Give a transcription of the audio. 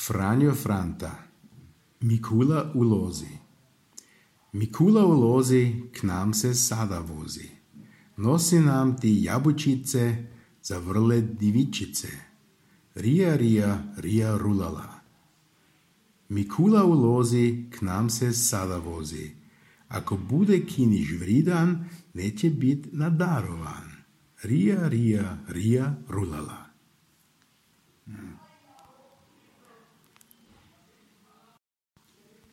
Franjo Franta. Mikula ulozi. Mikula ulozi, k nám se sada vozi. Nosi nám ty jabučice za vrle divičice. Rija, rija, rija rulala. Mikula ulozi, k nám se sada vozi. Ako bude kiniš vridan, neće bit nadarovan. Rija, rija, rija rulala.